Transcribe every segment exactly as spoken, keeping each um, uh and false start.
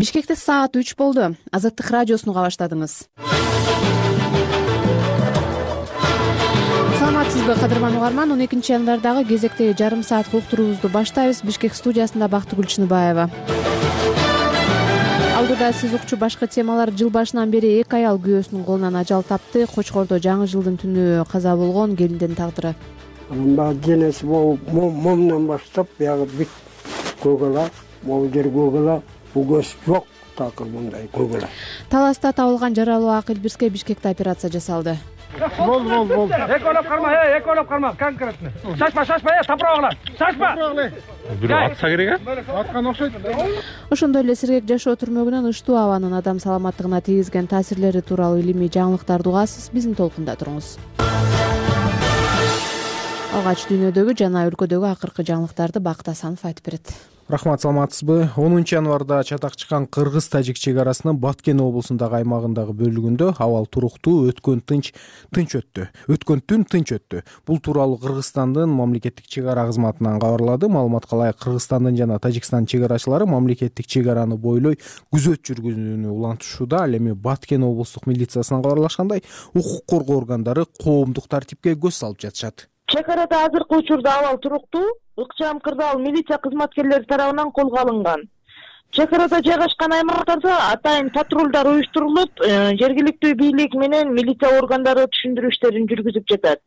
Бишкекте саат үч болду. Азаттык радиосуну уга баштадыңыз. Саламатсызбы, кадырман угарман? он экинчи январдагы кезектеги жарым саат уктуруубузду баштайбыз. Бишкек студиясында Бактыгүл Чыныбаева. Алдыда сиз укчу башкы темалар. Жыл башынан бери эки аял күйөөсүнүн колунан ажал тапты. Кочкордо жаңы жылдын түнү каза болгон келиндин тагдыры. Анда денеси момунан баштап биягы бүт көгала, могу жер көгала, бул көз жок, такыр мындай көгала. Таласта табылган жаралуу Акылбирске Бишкекте операция жасалды. Бол, бол, бол. Эколоп карма, э, эколоп карма, конкретно. Шашпа, шашпа, э, тапырагыла. Шашпа. Бирөө атса керек, а? Аткан окшойт. Ошондой эле сергек жашоо түрмөгүнөн ыштуу абанын адам саламаттыгына тийгизген таасирлери тууралуу илимий жаңылыктарды угасыз. Биздин толкунда туруңуз. Алгач дүйнөдөгү жана өлкөдөгү акыркы жаңылыктарды Бакыт Асанов айтып берет. Рахмат, саламатсызбы? онунчу январда чатак чыккан кыргыз-тажик чек арасынын Баткен облусундагы аймагындагы бөлүгүндө абал туруктуу, өткөн тынч тынч өттү. Өткөн түн тынч өттү. Бул тууралуу Кыргызстандын мамлекеттик чек ара кызматынан кабарлады. Маалыматка ылайык, Кыргызстандын жана Тажикстандын чек арачылары мамлекеттик чек араны бойлой күзөт жүргүзүүнү улантышууда. Ал эми Баткен облустук милициясынан кабарлашкандай, укук коргоо органдары коомдук тартипке көз салып жатышат. Чек арада азыркы учурда абал туруктуу, ыкчам кырдаал милиция кызматкерлери тарабынан колго алынган. Чек арада жайгашкан аймактарда атайын патрулдар уюштурулуп, жергиликтүү бийлик менен милиция органдары түшүндүрүү иштерин жүргүзүп жатат,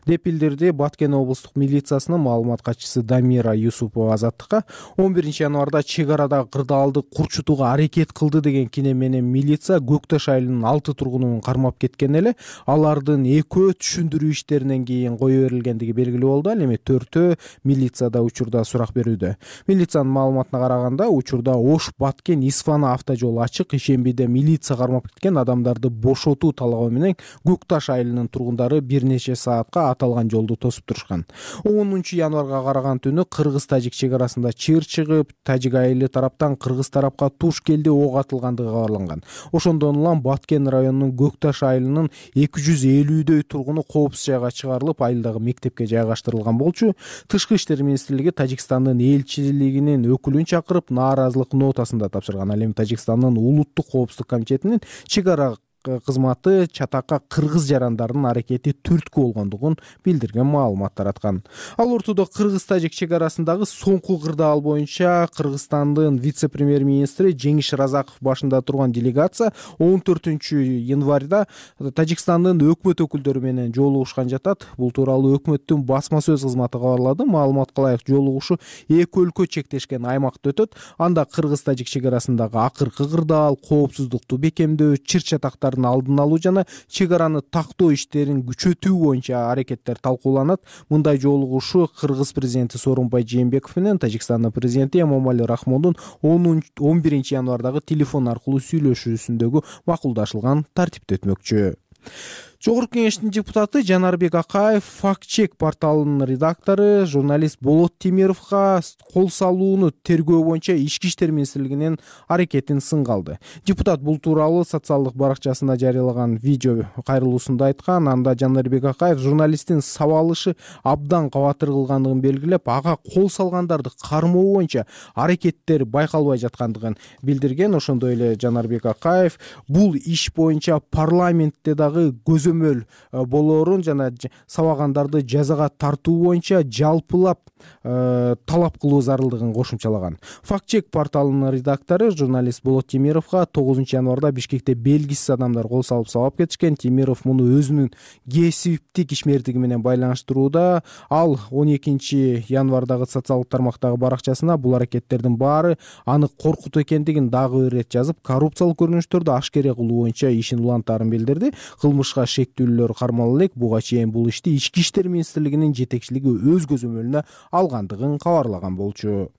деп билдирди Баткен облустук милициясынын маалымат катчысы Дамира Юсупова Азаттыкка. он биринчи январда чек арада кырдаалды курчутууга аракет кылды деген кине менен милиция Көк Таш айылынын алты тургунун кармап кеткен эле. Алардын экөө түшүндүрүү иштеринен кийин кое берилгендиги белгилүү болду. Ал эми төртөө милицияда учурда сурак берүүдө. Милициянын маалыматына караганда, учурда Ош Баткен Исфана автожол ачык. Ишембиде милиция кармап кеткен адамдарды бошотуу талабы менен Көк Таш айылынын тургундары бир нече саатка аталган жолду тосуп турушкан. онунчу январга караган түнү кыргыз-тажик чек арасында чыр чыгып, тажик айылы тараптан кыргыз тарапка туш келди ок атылгандыгы кабарланган. Ошондон улам Баткен районунун Көк Таш айылынын эки жүз элүүдөй тургуну коопсуз жайга чыгарылып, айылдагы мектепке жайгаштырылган болчу. Тышкы иштер министрлиги Тажикстандын элчилигинин өкүлүн чакырып, нааразылык нотасында тапшырган. Ал эми Тажикстандын улуттук коопсуздук комитетинин чек ара кызматы чатакка кыргыз жарандарынын аракети түрткү болгондугун билдирген маалымат тараткан. Ал ортодо кыргыз-тажик чек арасындагы соңку кырдаал боюнча Кыргызстандын вице-премьер-министри Жеңиш Разаков башында турган делегация он төртүнчү январда Тажикстандын өкмөт өкүлдөрү менен жолугушкан жатат. Бул тууралуу өкмөттүн басма сөз кызматы кабарлады. Маалыматка ылайык, жолугушуу эки өлкө чектешкен аймакта өтөт. Анда кыргыз-тажик чек арасындагы акыркы кырдаал, коопсуздукту бекемдөө, чыр чатактар алдын алуу жана чек араны тактоо иштерин күчөтүү боюнча аракеттер талкууланат. Мындай жолугушуу Кыргыз президенти Сооронбай Жээнбеков менен Тажикстандын президенти Эмомали Рахмондун он биринчи январдагы телефон аркылуу сүйлөшүүсүндөгү макулдашылган тартипте өтмөкчү. Жогорку кеңештин депутаты Жанарбек Акаев факт-чек порталынын редактору журналист Болот Темировго кол салууну тергөө боюнча Ички иштер министрлигинин аракетин сынга алды. Депутат бул тууралуу социалдык баракчасында жарыялаган видео кайрылуусунда айткан. Анда Жанарбек Акаев журналисттин сабалышы абдан кабатыр кылгандыгын белгилеп, ага кол салгандарды кармоо боюнча аракеттер байкалбай жаткандыгын билдирген. Ошондой эле Жанарбек Акаев бул иш боюнча парламентте дагы көзөмөл болоорун жана сабагандарды жазага тартуу боюнча жалпылап э, талап кылуу зарылдыгын кошумчалаган. Факт-чек порталынын редактору журналист Болот Темировго тогузунчу январда Бишкекте белгисиз адамдар кол салып сабап кетишкен. Темиров муну өзүнүн кесиптик ишмердиги менен байланыштырууда. Ал он экинчи январдагы социалдык тармактагы баракчасына бул аракеттердин баары аны коркутуу экендигин дагы бир ирет жазып, коррупциялык көрүнүштөрдү ашкере кылуу боюнча ишин улантаарын билдирди. Кылмышка шектүүлөр кармалып элек. Буга чейин бул ишти Ички иштер министрлигинин жетекчилиги өз көзөмөлүнө алгандыгын кабарлаган болчу.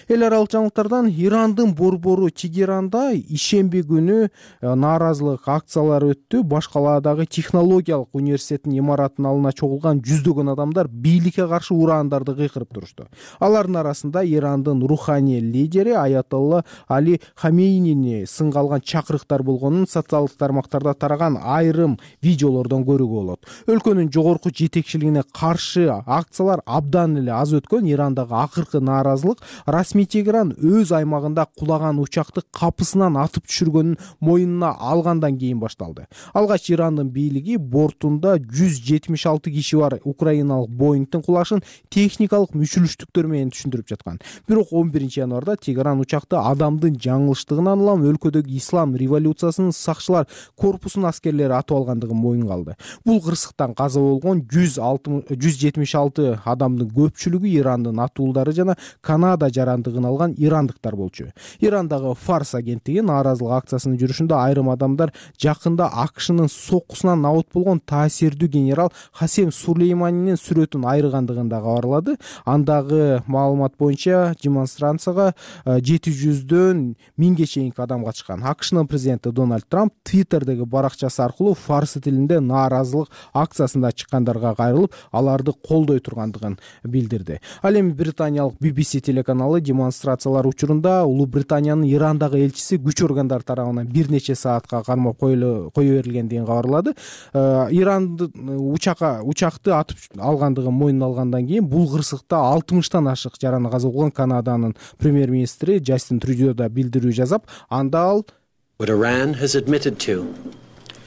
Эл аралык жаңылыктардан Ирандын борбору Тегеранда ишемби күнү нааразылык акциялары өттү. Баш калаадагы технологиялык университеттин имаратынын алдына чогулган жүздөгөн адамдар бийликке каршы ураандарды кыйкырып турушту. Алардын арасында Ирандын руханий лидери Аятолла Али Хамейнини сынга алган чакырыктар болгонун социалдык тармактарда тараган айрым видеолордон көрүүгө болот. Өлкөнүн жогорку жетекчилигине каршы акциялар абдан эле аз өткөн. Ирандагы акыркы нааразылык расмий Тегеран өз аймагында кулаган учакты капысынан атып түшүргөнүн мойнуна алгандан кийин башталды. Алгач Ирандын бийлиги бортунда жүз жетимиш алты киши бар украиналык Боингдин кулашын техникалык мүчүлүштүктөр менен түшүндүрүп жаткан. Бирок он биринчи январда Тегеран учакты адамдын жаңылыштыгынан улам өлкөдөгү ислам революциясынын сакчылар корпусунун аскерлери атып алгандыгын моюнга алды. Бул кырсыктан каза болгон жүз жетимиш алты адамдын көпчүлүгү Ирандын атуулдары жана Канада жарандыгын алган ирандыктар болчу. Ирандагы Фарс агенттиги нааразылык акциясынын жүрүшүндө айрым адамдар жакында АКШнын соккусунан набыт болгон таасирдүү генерал Хасем Сулейманинин сүрөтүн айрыгандыгын да кабарлады. Андагы маалымат боюнча демонстрацияга жети жүздөн миңге чейинки адам катышкан. АКШнын президенти Дональд Трамп Твиттердеги баракчасы аркылуу фарс тилинде нааразылык акциясында чыккандарга кайрылып, аларды колдой тургандыгын билдирди. Ал эми британиялык би би си телеканалы демонстрациялар учурунда Улуу Британиянын Ирандагы элчиси күч органдары тарабынан бир нече саатка кармап кое берилгендигин кабарлады. Ирандын учакка учакты атып алгандыгын мойнуна алгандан кийин бул кырсыкта алтымыштан ашык жараны каза болгон Канаданын премьер-министри Джастин Трюдо да билдирүү жазап, анда ал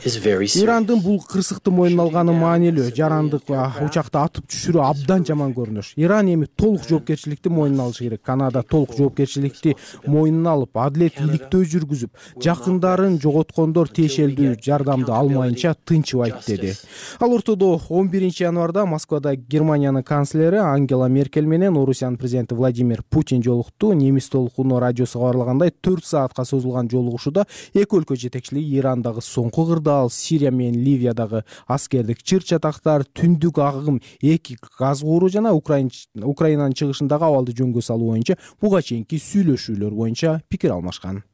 Ирандын бул кырсыкты мойнуна алганы маанилүү. Жарандык учакты атып түшүрүү абдан жаман көрүнүш. Иран эми толук жоопкерчиликти мойнуна алышы керек. Канада толук жоопкерчиликти мойнуна алып, адилет иликтөө жүргүзүп, жакындарын жоготкондор тиешелдүү жардамды алмайынча тынчыбайт деди. Ал ортодо он биринчи январда Москвада Германиянын канцлери Ангела Меркель менен Орусиянын президенти Владимир Путин жолукту. Немис толкуну радиосу кабарлагандай төрт саатка созулган жолугушууда эки өлкө жетекчилиги Ирандагы соңку кырдаал, Сирия менен Ливиядагы аскердик чыр-чатактар, түндүк агым эки газ кууру жана Украинанын чыгышындагы абалды жөнгө салуу боюнча буга чейинки сүйлөшүүлөр боюнча пикир алмашкан.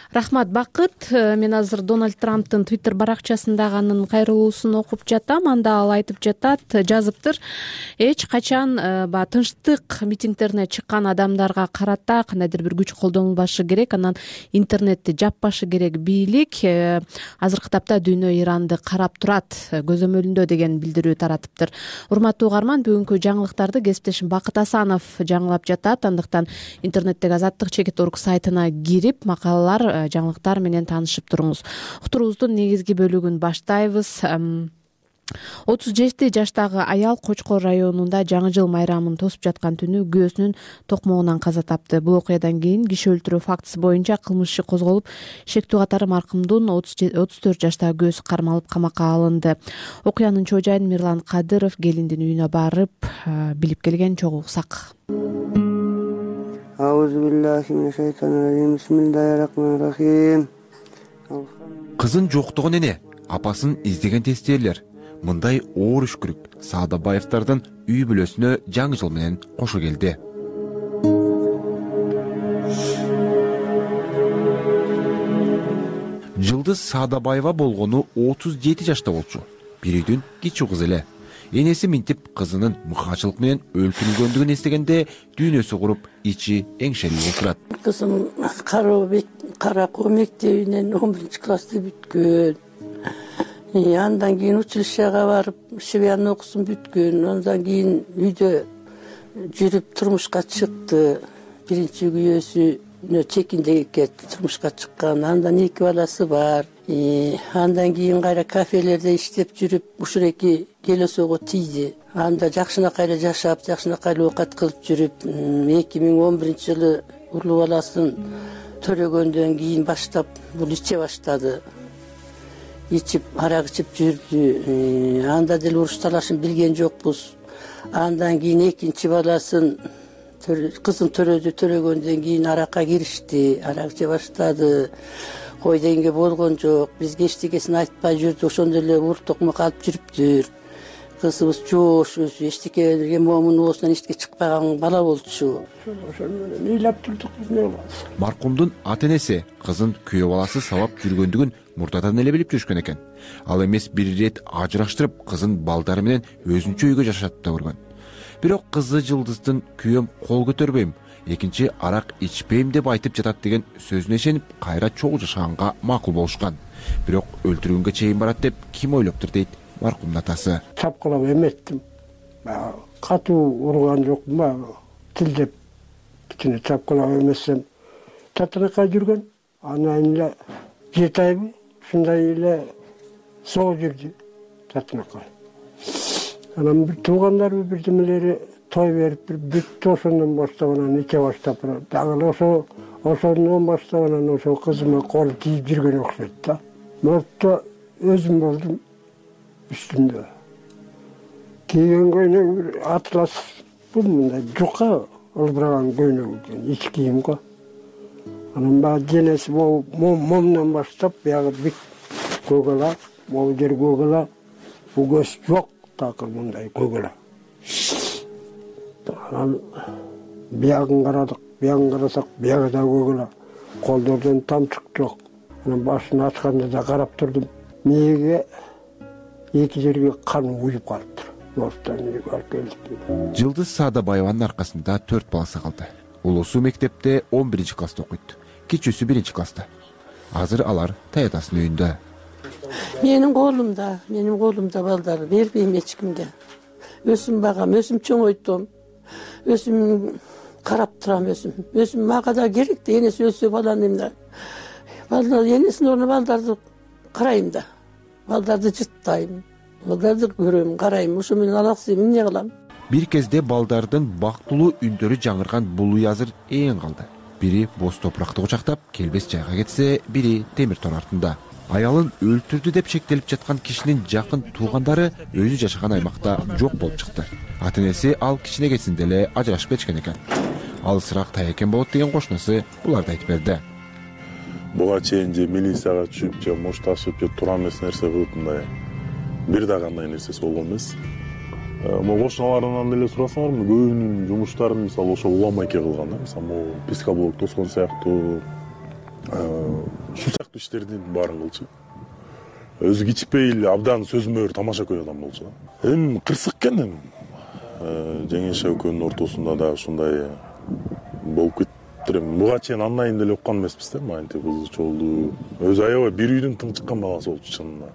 Рахмат, Бакыт. Мен азыр Дональд Трамптын Твиттер баракчасындагы анын кайрылуусун окуп жатам. Анда ал айтып жатат, жазыптыр: эч качан ба тынчтык митингдерине чыккан адамдарга карата кандайдыр бир күч колдонулбашы керек, анан интернетти жаппашы керек бийлик. Азыркы тапта дүйнө Иранды карап турат, көзөмөлүндө деген билдирүү таратыптыр. Урматтуу угарман, бүгүнкү жаңылыктарды кесиптешим Бакыт Асанов жаңылап жатат. Андыктан интернеттеги Азаттык чекит точка орг сайтына кирип, макалалар, жаңылыктар менен таанышып туруңуз. Уктуруубуздун негизги бөлүгүн баштайбыз. отуз жети жаштагы аял Кочкор районунда Жаңы жыл майрамын тосуп жаткан түнү күйөөсүнүн токмогунан каза тапты. Бул окуядан кийин киши өлтүрүү фактысы боюнча кылмыш иши козголуп, шектүү катары маркумдун отуз төрт жаштагы күйөөсү кармалып камакка алынды. Окуянын чоо жайын Мирлан Кадыров келиндин үйүнө барып билип келген, чогуу уксак. Кызын жоктогон эне, апасын издеген тестелер. Мындай оор үшкүрүк Саадабаевдардын үй бүлөсүнө жаңы жыл менен кошо келди. Жылдыз Саадабаева болгону отуз жети жашта болчу. Бир үйдүн кичүү кызы эле. Энеси минтип кызынын мыкаачылык менен өлтүрүлгөндүгүн эстегенде дүйнөсү куруп, ичи эңшелип отурат. Кызым Каракуу мектебинен он биринчи классты бүткөн. Андан кийин училищага барып, швеян окуусун бүткөн. Андан кийин үйдө жүрүп турмушка чыкты. Биринчи күйөөсүнө чекиндеге турмушка чыккан. Андан эки баласы бар. Андан кийин кайра кафелерде иштеп жүрүп, ушул эки келесоого тийди. Анда жакшынакай эле жашап, жакшынакай эле оокат кылып жүрүп, эки миң он биринчи жылы улуу баласын төрөгөндөн кийин баштап бул иче баштады. Ичип, арак ичип жүрдү. Анда деле уруш талашын билген жокпуз. Андан кийин экинчи баласын, кызын төрөдү, төрөгөндөн кийин аракка киришти, арак иче баштады. Кой дегенге болгон жок. Бизге эчтекесин айтпай жүрдү, ошондой эле ур токмок алып жүрүптүр. Кызыбыз жоош өзү, эчтеке момун оосунан эчтеке чыкпаган бала болчу. Ошону менен ыйлап турдук биз не кылабыз. Маркумдун ата-энеси кызын күйөө баласы сабап жүргөндүгүн мурдадан эле билип жүрүшкөн экен. Ал эмес бир ирет ажыраштырып, кызын балдары менен өзүнчө үйгө жашатып да көргөн. Бирок кызы Жылдыздын күйөөм кол көтөрбөйм, экинчи арак ичпейм деп айтып жатат деген сөзүнө ишенип, кайра чогуу жашаганга макул болушкан. Бирок өлтүрүүгө чейин барат деп ким ойлоптур дейт маркумдун атасы. Чапкылап эметтим. Катуу урган жокмун, тилдеп үстүнө чапкылап эмесем татынакка жүргөн. Анан эле жети айбы ушундай эле соо жүрдү татынакка. Анан бир туугандарбы бирдемелери той берип бир бүттү, ошондон баштап анан иче баштап дагы ошо ошондон баштап анан ошо кызыма кол тийип жүргөн окшойт да. Муртта өзүм болдум үстүмдө. Кийген көйнөк бир атлас бул мындай жука ылбыраган көйнөк экен, ич кийим го. Анан баягы денеси момунан баштап баягы бүт көгала, могу жер көгала, бул көз жок такыр мындай көгала. Анан биягын карадык, биягын карасак, биягы да көгала, колдордон тамчык жок. Анан башын ачканда да карап турдум. Мээге эки жерге кан уюп калыптыр. Морттан үйгө алып келдик. Жылдыз Саадабаеванын аркасында төрт баласы калды. Улусу мектепте он биринчи класста окуйт. Кичүүсү биринчи класста. Азыр алар таятасынын үйүндө. Менин колумда, менин колумда балдар, бербейм эч кимге. Өсүм багам, өсүм чоңойтом. Өсүм карап турам, өсүм. Өсүм мага да керек да, энеси өссө баланым да. Балдар энесинин ордуна балдарды карайм да. Балдарды жыттайм. Балдарды көрөм, карайм. Ошо менен алаксым, эмне кылам? Бир кезде балдардын бактылуу үндөрү жаңырган бул үй азыр ээн калды. Бири боз топуракты кучактап, келбес жайга кетсе, бири темир тор артында. Аялын өлтүрдү деп шектелип жаткан кишинин жакын туугандары өзү жашаган аймакта жок болуп чыкты. Ата-энеси ал кичине кезинде эле ажырашып кетишкен экен. Алысыраак таякен болот деген кошунасы буларды айтып берди. Буга чейин же милицияга түшүп, же мошташып, же тура эмес нерсе кылып мындай бир да кандай нерсеси болгон эмес. Могу кошуналарынан деле сурасаңар, көбүнүн жумуштарын мисалы ошо уламайке кылган да. Мисалы могу пескоблок тоскон сыяктуу, ушул сыяктуу иштердин баарын кылчу. Өзү кичпей эле абдан сөзмөр тамаша көй адам болчу. Эми кырсык экен эми. Жеңеше экөөнүн ортосунда да ушундай болуп кетти. Буга чейин андан деле уккан эмеспиз да, мантип кызы чолду. Өзү аябай бир үйдүн тың чыккан баласы болчу чынында.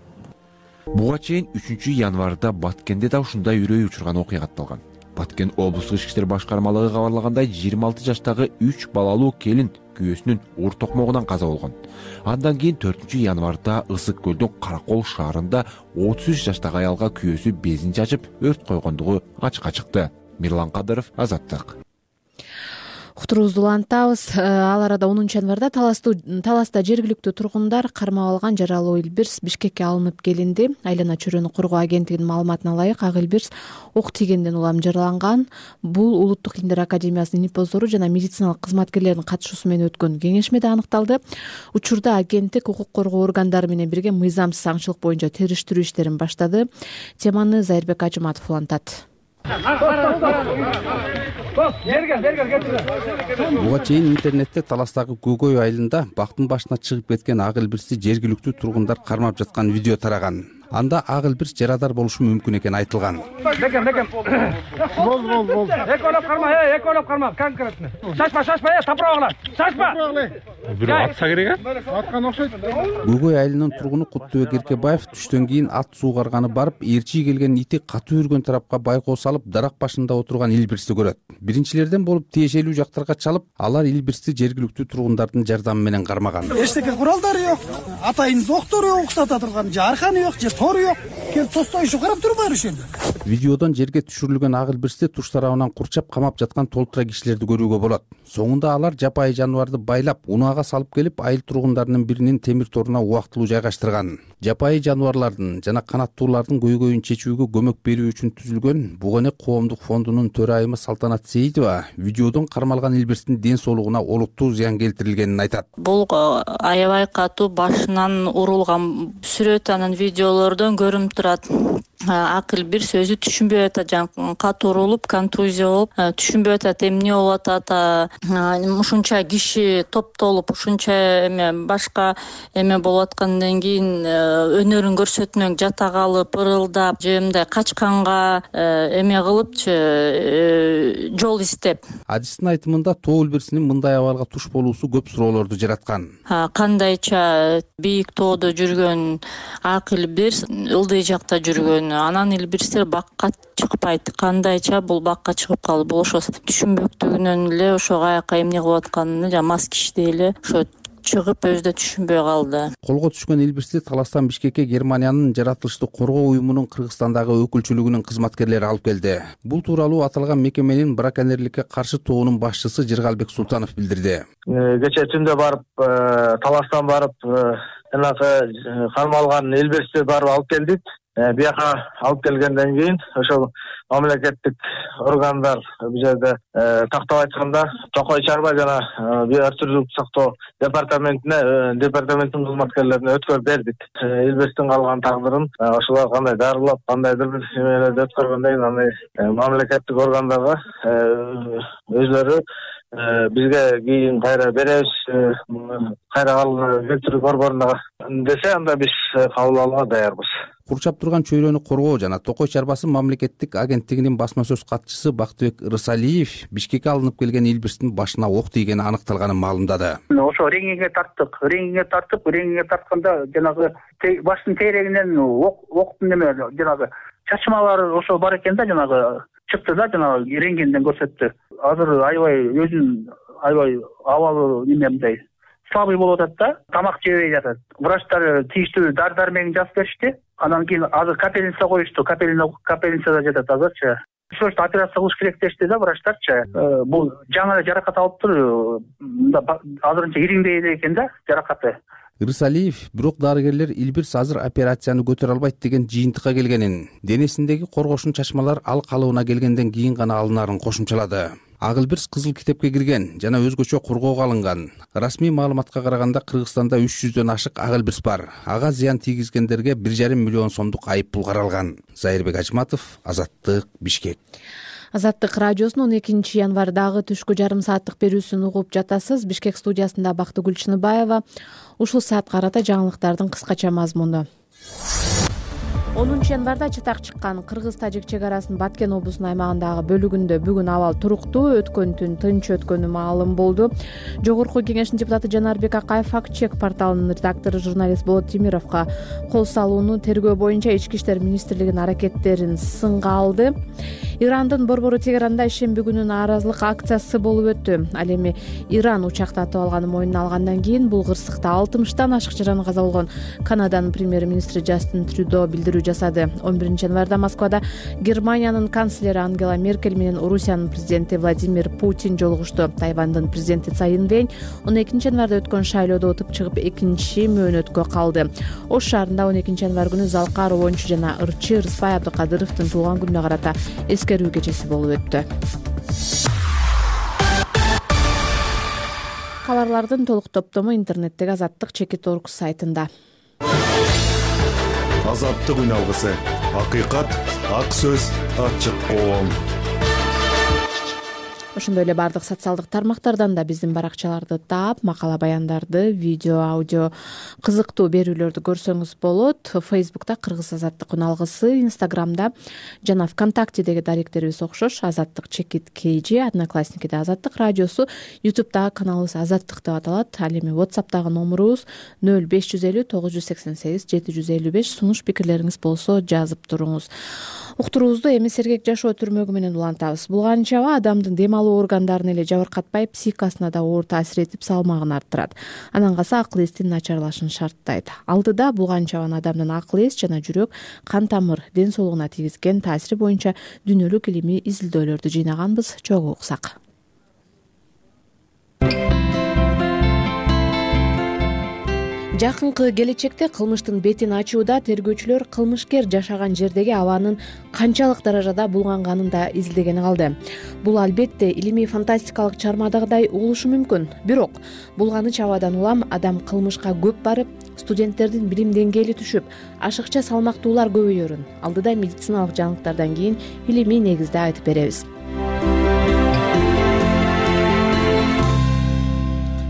Буга чейин үчүнчү январда Баткенде да ушундай үрөй учурган окуя катталган. Баткен облустук ички иштер башкармалыгы кабарлагандай, жыйырма алты жаштагы үч балалуу келин күйөөсүнүн ур токмогунан каза болгон. Андан кийин төртүнчү январда Ысык көлдүн Каракол шаарында отуз үч жаштагы аялга күйөөсү безин чачып өрт койгондугу ачыкка чыкты. Мирлан Кадыров, Азаттык. Уктуруубузду улантабыз. Ал арада онунчу январда Таласта жергиликтүү тургундар кармап алган жаралуу Илбирс Бишкекке алынып келинди. Айлана чөйрөнү коргоо агенттигинин маалыматына ылайык, ак Илбирс ок тийгенден улам жараланган. Бул Улуттук Илимдер академиясынын эпоздору жана медициналык кызматкерлердин катышуусу менен өткөн кеңешмеде аныкталды. Учурда агенттик укук коргоо органдары менен бирге мыйзамсыз аңчылык боюнча териштирүү иштерин баштады. Теманы Зайырбек Ажыматов улантат. Буга чейин интернетте Таластагы Көкөй айылында бактын башына чыгып кеткен ак Илбирсти жергиликтүү тургундар кармап жаткан видео тараган. Анда ак Илбирс жарадар болушу мүмкүн экени айтылган. Бекем, бекем. Бол, бол, бол. Экөлөп карма, э, экөлөп карма, конкретно. Шашпа, шашпа, э, тапырагыла. Шашпа. Бир атса керек, э? Аткан окшойт. Көкөй айылынын тургуну Куттубек Эркебаев түштөн кийин ат суугарганы барып, ээрчи келген ити катуу үргөн тарапка байкоо салып, дарак башында отурган Илбирсти көрөт. Биринчилерден болуп тиешелүү жактарга чалып, алар Илбирсти жергиликтүү тургундардын жардамы менен кармаган. Эчтеке куралдары жок, атайын зоктору уксата турган жарканы жок, же тору жок. Келип тостойшу карап турбайбы ошол жерде? Видеодон жерге түшүрүлгөн ак Илбирсти туш тарабынан курчап камап жаткан толтура кишилерди көрүүгө болот. Соңунда алар жапайы жаныбарды байлап, унаага салып келип, айыл тургундарынын биринин темир торуна убактылуу жайгаштырган. Жапайы жаныбарлардын жана канаттуулардын көйгөйүн чечүүгө көмөк берүү үчүн түзүлгөн Бугонек коомдук фондунун төрайымы Салтанат Сейитова видеодон кармалган Илбирстин ден соолугуна олуттуу зыян келтирилгенин айтат. Бул аябай катуу башынан урулган сүрөт анан видеолордон көрүнүп турат. Ак Илбирс өзү түшүнбөй атат, жана катуу урулуп, контузия болуп, түшүнбөй атат, эмне болуп атат, ушунча киши топтолуп, ушунча эме башка эме болуп аткандан кийин өнөрүн көрсөтмөк жата калып, ырылдап, же мындай качканга эме кылыпчы, жол издеп. Адистин айтымында тоо Илбирсинин мындай абалга туш болуусу көп суроолорду жараткан. Кандайча бийик тоодо жүргөн ак Илбирс ылдый жакта жүргөн анан илбирстер бакка чыкпайт. Кандайча бул бакка чыгып калды? Бул ошо түшүнбөктүгүнөн эле ошо каяка эмне кылып атканын жана мас кишидей эле ошо чыгып өзү да түшүнбөй калды. Колго түшкөн илбирсти Таластан Бишкекке Германиянын жаратылыштык коргоо уюмунун Кыргызстандагы өкүлчүлүгүнүн кызматкерлери алып келди. Бул тууралуу аталган мекеменин браконьерликке каршы тобунун башчысы Жыргалбек Султанов билдирди. Кечээ түндө барып Таластан барып жанагы кармалган илбирсти барып алып келдик. Бияка алып келгенден кийин ошол мамлекеттик органдар бул жерде тактап айтканда Токой чарба жана биотүрлүк сактоо департаментине департаменттин кызматкерлерине өткөрүп бердик. Илбирстин калган тагдырын ошолор кандай дарылап, кандайдыр бир эмелерди өткөргөндөн кийин аны мамлекеттик органдарга өзлөрү бизге кийин кайра беребиз, кайра келтирүү борборуна десе, анда биз кабыл алууга даярбыз. Курчап турган чөйрөнү коргоо жана Токой чарбасы мамлекеттик агенттигинин басма сөз катчысы Бактыбек Рысалиев Бишкекке алынып келген илбирстин башына ок тийгени аныкталганын маалымдады. Ошо реңиңе тарттык, реңиңе тартып, реңиңе тартканда жанагы баштын тейрегинен октун неме жанагы чачмалары ошо бар экен да, жанагы чыкты да, жанагы рентгенден көрсөттү. Азыр аябай өзүнүн аябай абалы немемдей слабый болуп атат да, тамак жебей жатат. Врачтар тийиштүү дар дармегин жазып беришти. Анан кийин азыр капельница коюшту, капельницада жатат азырчы. Срочно операция кылыш керек дешти да врачтарчы. Бул жаңы жаракат алыптыр. Азырынча ириңдей эле экен да жаракаты. Рысалиев бирок дарыгерлер илбирс азыр операцияны көтөрө албайт деген жыйынтыкка келгенин, денесиндеги коргошун чачмалар ал калыбына келгенден кийин гана алынарын кошумчалады. Ак илбирс кызыл китепке кирген жана өзгөчө коргоого алынган. Расмий маалыматка караганда Кыргызстанда үч жүздөн ашык ак илбирс бар. Ага зыян тийгизгендерге бир жарым миллион сомдук айып пул каралган. Зайырбек Ажматов, Азаттык, Бишкек. Азаттык радиосунун он экинчи январдагы түшкү жарым сааттык берүүсүн угуп жатасыз. Бишкек студиясында Бактыгүл Чыныбаева. Ушул саатка карата жаңылыктардын кыскача мазмуну. онунчу январда чатак чыккан Кыргыз-Тажик чек арасын Баткен облусунун аймагындагы бөлүгүндө бүгүн абал туруктуу, өткөн түн тынч өткөнү маалым болду. Жогорку кеңештин депутаты Жанарбек Акаев Факт-чек порталынын редактору журналист Болот Темировго кол салууну тергөө боюнча Ички иштер министрлигинин аракеттерин сынга алды. Ирандын борбору Тегеранда ишемби күнү нааразылык акциясы болуп өттү. Ал эми Иран учакты атып алганын мойнуна алгандан кийин бул кырсыкта алтымыштан ашык жараны каза болгон Канаданын премьер-министри Джастин Трюдо билдирүү жасады. он биринчи январда Москвада Германиянын канцлери Ангела Меркель менен Орусиянын президенти Владимир Путин жолугушту. Тайвандын президенти Цай Инвэнь он экинчи январда өткөн шайлоодо утуп чыгып экинчи мөөнөткө калды. Ош шаарында он экинчи январ күнү Залкар Оончу жана ырчы Рыспай Абдыкадыровдун туулган күнүнө карата эскерүү кечеси болуп өттү. Кабарлардын толук топтому интернеттеги Азаттык чекит точка орг сайтында. Азаттык үн алгысы. Акыйкат, ак сөз, ачык коом. Ошондой эле бардык социалдык тармактардан да биздин баракчаларды таап, макала баяндарды, видео, аудио кызыктуу берүүлөрдү көрсөңүз болот. Фейсбукта Кыргыз Азаттык үн алгысы, Инстаграмда жана ВКонтактедеги даректерибиз окшош. Азаттык чекит kg, Одноклассникиде Азаттык радиосу, Ютубтагы каналыбыз Азаттык деп аталат. Ал эми WhatsAppтагы номурубуз нөл беш жүз элүү тогуз жүз сексен сегиз жети жүз элүү беш. Сунуш пикирлериңиз болсо жазып туруңуз. Уктуруубузду эми сергек жашоо түрмөгү менен улантабыз. Булган чаба адамдын дем алуу органдарын эле жабыркатпай, психикасына да оор таасир этип, салмагын арттырат. Анан калса акыл эстин начарлашын шарттайт. Алдыда булган чабан адамдын акыл эс жана жүрөк, кан тамыр, ден соолугуна тийгизген таасири боюнча дүйнөлүк илимий изилдөөлөрдү жыйнаганбыз. Чогуу уксак. Жакынкы келечекте кылмыштын бетин ачууда тергөөчүлөр кылмышкер жашаган жердеги абанын канчалык даражада булганганын да изилдегени калды. Бул албетте илимий фантастикалык чыгармадагыдай угулушу мүмкүн. Бирок булганы чабадан улам адам кылмышка көп барып, студенттердин билим деңгээли түшүп, ашыкча салмактуулар көбөйөрүн алдыда медициналык жаңылыктардан кийин илимий негизде айтып беребиз.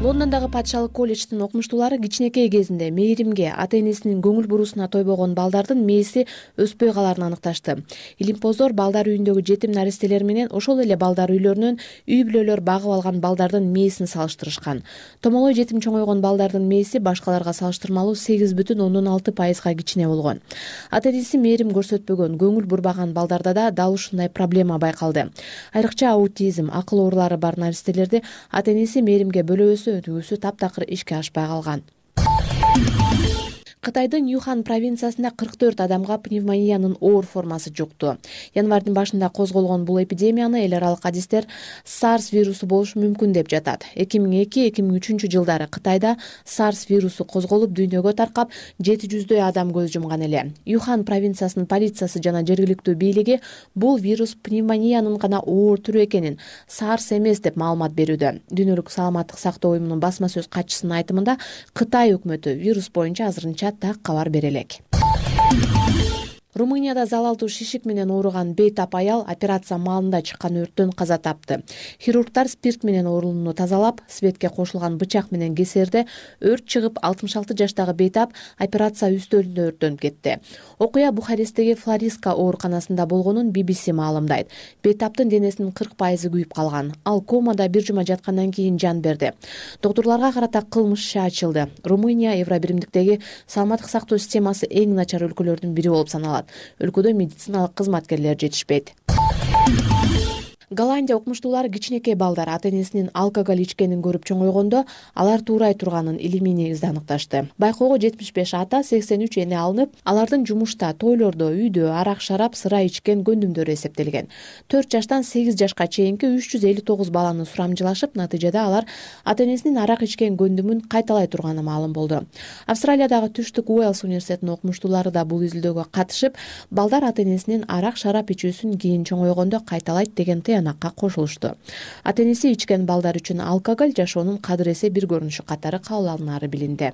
Лондондогу патшалык колледждин окумуштуулары кичинекей кезинде мээримге, ата энесинин көңүл бурусуна тойбогон балдардын мээси өспөй калаарын аныкташты. Илимпоздор балдар үйүндөгү жетим наристелер менен ошол эле балдар үйлөрүнөн үй бүлөлөр багып алган балдардын мээсин салыштырышкан. Томолой жетим чоңойгон балдардын мээси башкаларга салыштырмалуу сегиз бүтүн ондон алты пайызга кичине болгон. Ата энеси мээрим көрсөтпөгөн, көңүл бурбаган балдарда да дал ушундай проблема байкалды. Айрыкча аутизм, акыл оорулары бар наристелерди ата энеси мээримге бөлөбөсө түйгүсү таптакыр ишке ашпай калган. Кытайдын Юхан провинциясында кырк төрт адамга пневмониянын оор формасы жукту. Январдын башында козголгон бул эпидемияны эл аралык адистер SARS вирусу болушу мүмкүн деп жатат. эки миң эки — эки миң үчүнчү жылдары Кытайда SARS вирусу козголуп дүйнөгө таркап жети жүздөй адам көз жумган эле. Юхан провинциясынын полициясы жана жергиликтүү бийлиги бул вирус пневмониянын гана оор түрү экенин, SARS эмес деп маалымат берүүдө. Дүйнөлүк саламаттык сактоо уюмунун басма сөз катчысынын айтымында Кытай өкмөтү вирус боюнча азырынча так кабар бере элек. Румынияда залалдуу шишик менен ооруган бейтап аял операция маалында чыккан өрттөн каза тапты. Хирургдар спирт менен оорунууну тазалап, светке кошулган бычак менен кесерде өрт чыгып, алтымыш алты жаштагы бейтап операция үстөлүндө өрттөнүп кетти. Окуя Бухаресттеги Флориска ооруканасында болгонун би би си маалымдайт. Бейтаптын денесинин кырк пайызы күйүп калган. Ал комада бир жума жаткандан кийин жан берди. Доктурларга карата кылмыш иши ачылды. Румыния Евробиримдиктеги саламаттык сактоо системасы эң начар өлкөлөрдүн бири болуп саналат. Өлкөдө медициналык кызматкерлер жетишпейт. Голландия окумуштуулары кичинекей балдар ата энесинин алкоголь ичкенин көрүп чоңойгондо алар туурай турганын илимий негизде аныкташты. Байкоого жетимиш беш ата, сексен үч эне алынып, алардын жумушта, тойлордо, үйдө арак-шарап, сыра ичкен көндүмдөрү эсептелген. төрт жаштан сегиз жашка чейинки үч жүз элүү тогуз баланы сурамжылашып, натыйжада алар ата энесинин арак ичкен көндүмүн кайталай турганы маалым болду. Австралиядагы Түштүк Уэльс университетинин окумуштуулары да бул изилдөөгө катышып, балдар ата энесинин арак-шарап ичүүсүн кийин чоңойгондо кайталайт деген тыянакка кошулушту. Ата энеси ичкен балдар үчүн алкоголь жашоонун кадыр-эсе бир көрүнүшү катары кабыл алынары билинди.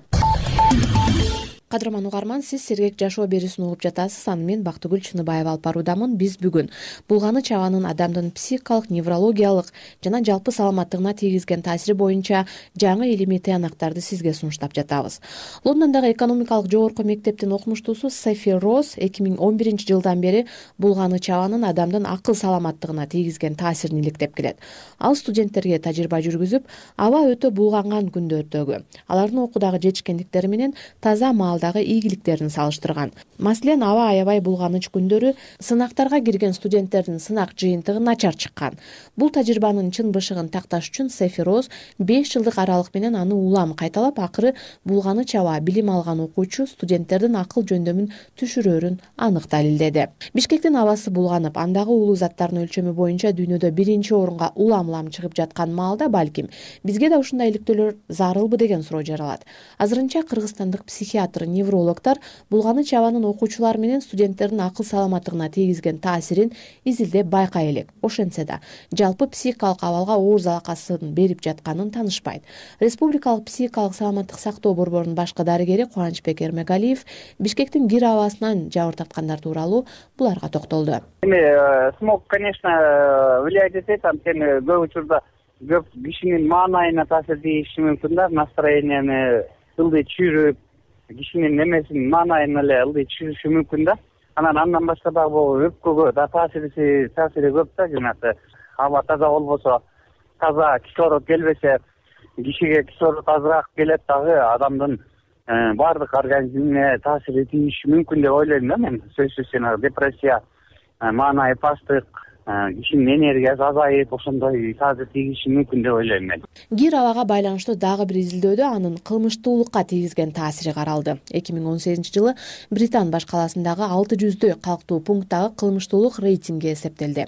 Кадырман угарман, сиз Сергек жашоо берүүсүн угуп жатасыз. Аны мен Бактыгүл Чыныбаева алып баруудамын. Биз бүгүн булганы чабанын адамдын психикалык, неврологиялык жана жалпы саламаттыгына тийгизген таасири боюнча жаңы илимий тыянактарды сизге сунуштап жатабыз. Лондондогу экономикалык жогорку мектептин окумуштуусу Софи Роз эки миң он биринчи жылдан бери булганы чабанын адамдын акыл саламаттыгына тийгизген таасирин иликтеп келет. Ал студенттерге тажрыйба жүргүзүп, аба өтө булганган күндөрдөгү, алардын окуудагы жетишкендиктери менен таза маал дагы ийгиликтерин салыштырган. Маселен, аба аябай булганыч күндөрү сынактарга кирген студенттердин сынак жыйынтыгы начар чыккан. Бул тажрыйбанын чын бышыгын такташ үчүн Софи Роз беш жылдык аралык менен аны улам кайталап, акыры булганы чаба билим алган окуучу студенттердин акыл жөндөмүн түшүрөрүн анык далилдеди. Бишкектин абасы булганып, андагы уулуу заттардын өлчөмү боюнча дүйнөдө биринчи орунга улам-улам чыгып жаткан маалда балким бизге да ушундай иликтөөлөр зарылбы деген суроо жаралат. Азырынча кыргызстандык психиатр, неврологдор булганы чабанын окуучулар менен студенттердин акыл саламаттыгына тийгизген таасирин изилдеп байкай элек. Ошентсе да жалпы психикалык абалга оор залакасын берип жатканын таанышпайт. Республикалык психикалык саламаттык сактоо борборунун башкы дарыгери Кубанычбек Эрмегалиев Бишкектин кир абасынан жабыр тарткандар тууралуу буларга токтолду. Эми смог, конечно, влияет этет, анткени көп учурда көп кишинин маанайына таасир тийиши мүмкүн да, настроенияны ылдый түшүрүп, кишинин немесин маанайын эле ылдый түшүрүшү мүмкүн да. Анан андан башка дагы бул өпкөгө да таасири таасири көп да, жанагы аба таза болбосо, таза кислород келбесе, кишиге кислород азыраак келет дагы, адамдын баардык организмине таасири тийиши мүмкүн деп ойлойм да мен. Сөзсүз жанагы депрессия, маанайы пасттык, кишинин энергиясы азайып, ошондой таасир тийиши мүмкүн деп ойлойм мен. Кир абага байланыштуу дагы бир изилдөөдө анын кылмыштуулукка тийгизген таасири каралды. эки миң он сегизинчи жылы Британ баш каласындагы алты жүздөй калктуу пункттагы кылмыштуулук рейтинги эсептелди.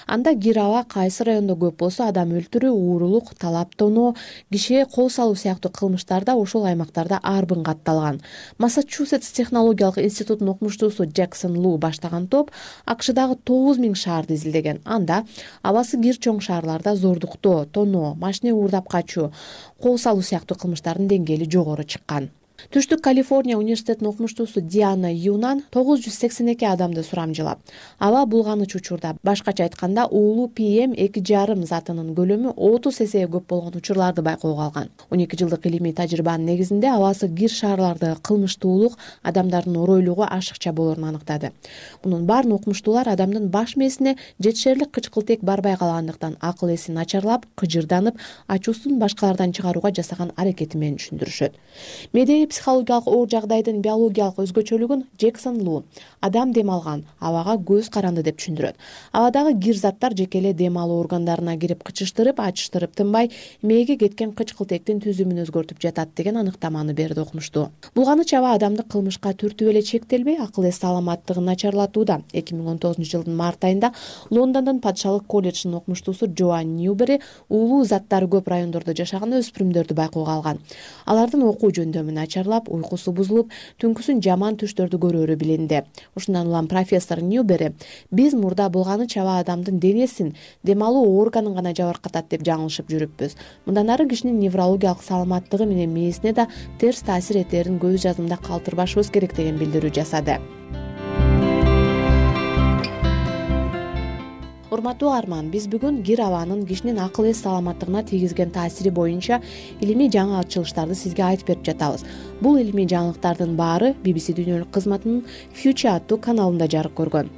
Анда кир аба кайсы райондо көп болсо, адам өлтүрүү, уурулук, талап тоноо, кишиге кол салуу сыяктуу кылмыштар да ошол аймактарда арбын катталган. Массачусетс технологиялык институтунун окумуштуусу Джексон Лу баштаган топ АКШдагы тогуз миң шаарды изилдеген. Анда абасы кир чоң шаарларда зордуктоо, тоноо, машина уурдап качуу, кол салуу сыяктуу кылмыштардын деңгээли жогору чыккан. Түштүк Калифорния университетинин окумуштуусу Диана Юнан тогуз жүз сексен эки адамды сурамжылап, аба булганыч учурда, башкача айтканда уулуу пи эм эки жарым затынын көлөмү отуз эсеге көп болгон учурларды байкоого алган. он эки жылдык илимий тажрыйбанын негизинде абасы кир шаарлардагы кылмыштуулук адамдардын оройлугу ашыкча болоорун аныктады. Мунун баарын окумуштуулар адамдын баш мээсине жетишерлик кычкылтек барбай калгандыктан акыл эси начарлап, кыжырданып, ачуусун башкалардан чыгарууга жасаган аракети менен түшүндүрүшөт. Медеги психологиялык оор жагдайдын биологиялык өзгөчөлүгүн Джексон Лу адам дем алган, абага көз каранды деп түшүндүрөт. Абадагы кир заттар жеке эле дем алуу органдарына кирип кычыштырып, ачыштырып тынбай, мээге кеткен кычкылтектин түзүмүн өзгөртүп жатат деген аныктаманы берди окумуштуу. Булганыч аба адамды кылмышка түртүп эле чектелбей, акыл эс саламаттыгын начарлатууда. эки миң он тогузунчу жылдын март айында Лондондун Падышалык колледжинин окумуштуусу Джоан Ньюбери уулуу заттары көп райондордо жашаган өспүрүмдөрдү байкоого алган. Алардын окуу жөндөмү начарлап, уйкусу бузулуп, түнкүсүн жаман түштөрдү көрөөрү билинди. Ушундан улам профессор Ньюбери биз мурда булганыч аба адамдын денесин, дем алуу органын гана жабыркатат деп жаңылышып жүрүппүз. Мындан ары кишинин неврологиялык саламаттыгы менен мээсине да терс таасир этерин көз жазымда калтырбашыбыз керек деген билдирүү жасады. Урматтуу арман, биз бүгүн кир абанын кишинин акыл эс саламаттыгына тийгизген таасири боюнча илимий жаңы ачылыштарды сизге айтып берип жатабыз. Бул илимий жаңылыктардын баары би би си дүйнөлүк кызматынын Future аттуу каналында жарык көргөн.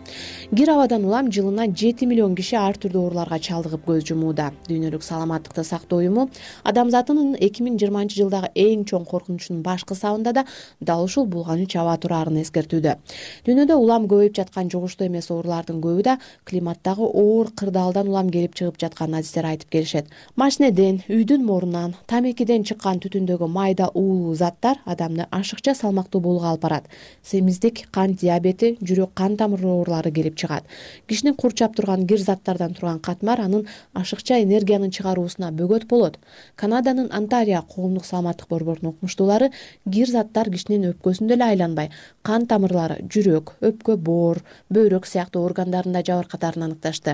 Кир абадан улам жылына жети миллион киши ар түрдүү ооруларга чалдыгып көз жумууда. Дүйнөлүк саламаттыкты сактоо уюму адамзатынын эки миң жыйырманчы жылдагы эң чоң коркунучунун баш кысабында да дал ушул булганыч аба тураарын эскертүүдө. Дүйнөдө улам көбөйүп жаткан жугуштуу эмес оорулардын көбү да климаттагы оор кырдаалдан улам келип чыгып жатканын адистер айтып келишет. Машинеден, үйдүн морунан, тамекиден чыккан түтүндөгү майда уулуу заттар адамды ашыкча салмактуу болууга алып барат. Семиздик, кант диабети, жүрөк кан тамыр оорулары келип чыгат. Кишини курчап турган кир заттардан турган катмар анын ашыкча энергиянын чыгаруусуна бөгөт болот. Канаданын Онтарио коомдук саламаттык борборунун окумуштуулары кир заттар кишинин өпкөсүндө эле айланбай, кан тамырлары, жүрөк, өпкө, боор, бөйрөк сыяктуу органдарында жабыркатарын аныкташты.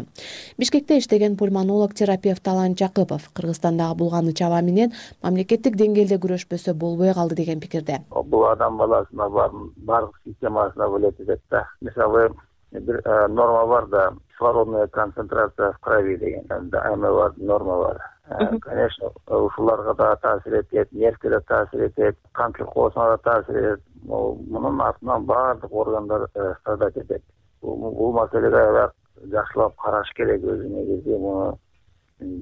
Бишкекте иштеген пульмонолог терапевт Алан Жакыпов Кыргызстандагы булганыч аба менен мамлекеттик деңгээлде күрөшпөсө болбой калды деген пикирде. Бул адам баласына баардык системасына влиять этет да. Мисалы, бир норма бар да, кислородная концентрация в крови деген бар, норма бар. Конечно, ушуларга да таасир этет, нервге да таасир этет, кан циркулосуна да таасир этет. Мунун артынан баардык органдар страдать этет. Бул маселеге жакшылап караш керек, өзү негизи муну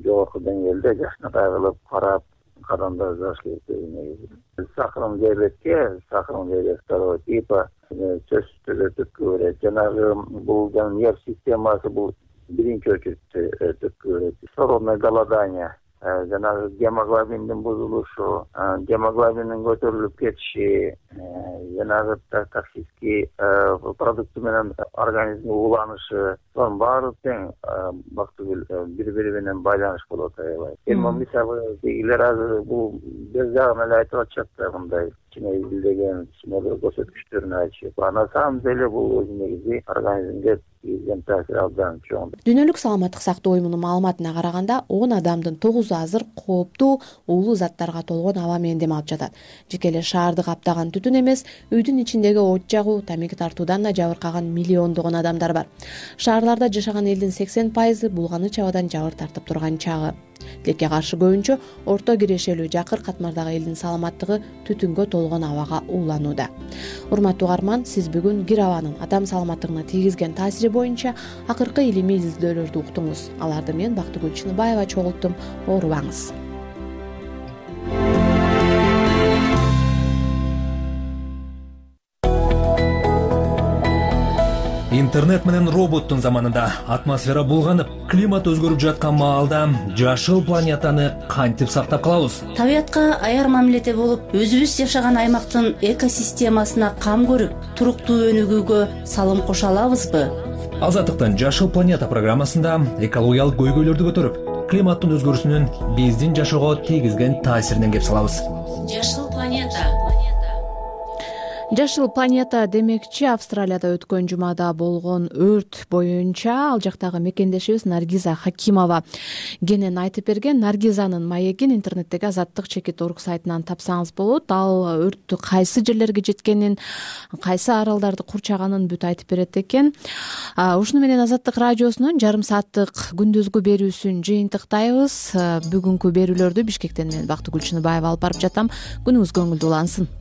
жогорку деңгээлде жакшынакай кылып карап, кадамдар жасаш керек өзү негизи. Сахарный диабетке, сахарный диабет второго типа сөзсүз түрдө түрткү берет. Жанагы бул нерв системасы бул биринчи очередте түрткү берет. Кислородное голодание, жанагы гемоглобиндин бузулушу, гемоглобиндин көтөрүлүп кетиши, жанагы токсический продукты менен организмге уланышы, сонун баары тең бактыгүл бири-бири менен байланыш болуп атабайт. Эми мисалы дегилер азыр бул бир жагын эле айтып атышат да, мындай кичине изилдеген, кичине бир көрсөткүчтөрүн айтышат. А на самом деле бул өзү негизи организмге тийгизген таасир абдан чоң. Дүйнөлүк саламаттык сактоо уюмунун маалыматына караганда, он адамдын тогузу азыр кооптуу уулуу заттарга толгон аба менен дем алып жатат. Жеке эле шаарды каптаган түтүн эмес, үйдүн ичиндеги от жагуу, тамеки тартуудан да жабыркаган миллиондогон адамдар бар. Шаарларда жашаган элдин сексен пайызы булганыч абадан жабыр тартып турган чагы. Тилекке каршы көбүнчө орто кирешелүү жакыр катмардагы элдин саламаттыгы түтүнгө толгон абага ууланууда. Урматтуу арман, сиз бүгүн кир абанын адам саламаттыгына тийгизген таасири боюнча акыркы илимий изилдөөлөрдү уктуңуз. Аларды мен Бактыгүл Чыныбаева чогулттум. Оорубаңыз. Интернет менен роботтун заманында атмосфера булганып, климат өзгөрүп жаткан маалда жашыл планетаны кантип сактап калабыз? Табиятка аяр мамиледе болуп, өзүбүз жашаган аймактын экосистемасына кам көрүп, туруктуу өнүгүүгө салым кошо алабызбы? Азаттыктын Жашыл планета программасында экологиялык көйгөйлөрдү көтөрүп, климаттын өзгөрүүсүнүн биздин жашоого тийгизген таасиринен кеп салабыз. Жашыл планета. Жашыл планета демекчи Австралияда өткөн жумада болгон өрт боюнча ал жактагы мекендешибиз Наргиза Хакимова кенен айтып берген. Наргизанын маегин интернеттеги Азаттык чекит орг сайтынан тапсаңыз болот. Ал өрттү кайсы жерлерге жеткенин, кайсы аралдарды курчаганын бүт айтып берет экен. Ушуну менен Азаттык радиосунун жарым сааттык күндүзгү берүүсүн жыйынтыктайбыз. Бүгүнкү берүүлөрдү Бишкектен мен Бактыгүл Чыныбаева алып барып жатам. Күнүңүз көңүлдүү улансын.